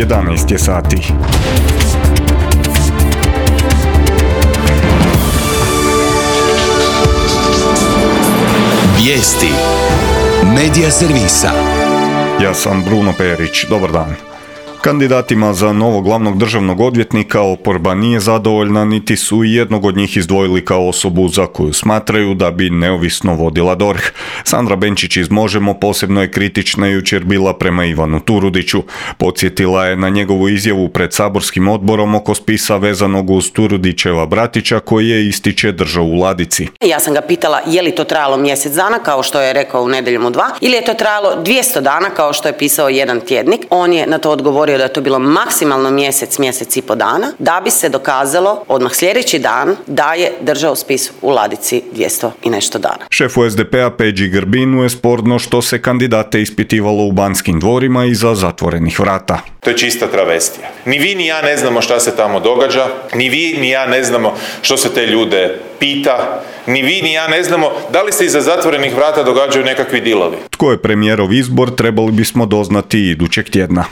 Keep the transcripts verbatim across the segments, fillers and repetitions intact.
jedanaest je sati. Vijesti Medija servisa. Ja sam Bruno Perić, dobar dan. Kandidatima za novog glavnog državnog odvjetnika oporba nije zadovoljna, niti su jednog od njih izdvojili kao osobu za koju smatraju da bi neovisno vodila D O R H. Sandra Benčić iz Možemo posebno je kritična jučer bila prema Ivanu Turudiću. Podsjetila je na njegovu izjavu pred saborskim odborom oko spisa vezanog uz Turudićeva bratića koji je ističe držao u ladici. Ja sam ga pitala je li to trajalo mjesec dana kao što je rekao u Nedjeljom u dva ili je to trajalo dvjesto dana kao što je pisao jedan tjednik. On je na to odgovorio da je to bilo maksimalno mjesec, mjesec i po dana, da bi se dokazalo odmah sljedeći dan da je držao spis u ladici dvjesto i nešto dana. Šefu S D P-a Peđi Grbinu je sporno što se kandidate ispitivalo u Banskim dvorima iza zatvorenih vrata. To je čista travestija. Ni vi ni ja ne znamo šta se tamo događa, ni vi ni ja ne znamo što se te ljude pita, ni vi ni ja ne znamo da li se iza zatvorenih vrata događaju nekakvi dilovi. Tko je premijerov izbor trebali bismo doznati idućeg tjedna.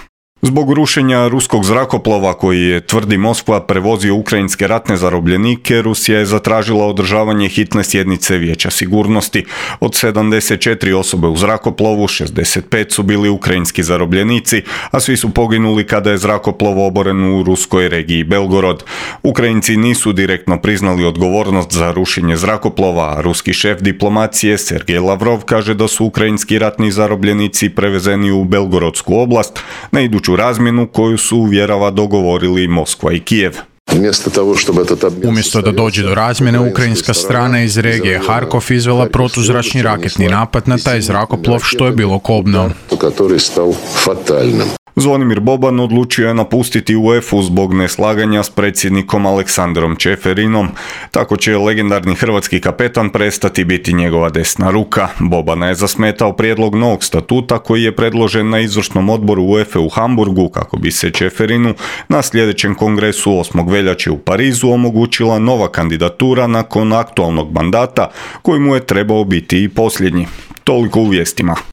Zbog rušenja ruskog zrakoplova koji je, tvrdi Moskva, prevozio ukrajinske ratne zarobljenike, Rusija je zatražila održavanje hitne sjednice Vijeća sigurnosti. Od sedamdeset četiri osobe u zrakoplovu, šezdeset pet su bili ukrajinski zarobljenici, a svi su poginuli kada je zrakoplov oboren u ruskoj regiji Belgorod. Ukrajinci nisu direktno priznali odgovornost za rušenje zrakoplova, a ruski šef diplomacije Sergej Lavrov kaže da su ukrajinski ratni zarobljenici prevezeni u Belgorodsku oblast na iduću razmjenu koju su, uvjerava, dogovorili Moskva i Kijev. Umjesto da dođe do razmjene, ukrajinska strana iz regije Harkov izvela protuzračni raketni napad na taj zrakoplov, što je bilo kobno. Zvonimir Boban odlučio je napustiti UEFA zbog neslaganja s predsjednikom Aleksandrom Čeferinom. Tako će legendarni hrvatski kapetan prestati biti njegova desna ruka. Bobana je zasmetao prijedlog novog statuta koji je predložen na izvršnom odboru UEFA u Hamburgu kako bi se Čeferinu na sljedećem kongresu osmog veljače u Parizu omogućila nova kandidatura nakon aktualnog mandata koji mu je trebao biti i posljednji. Toliko u vijestima.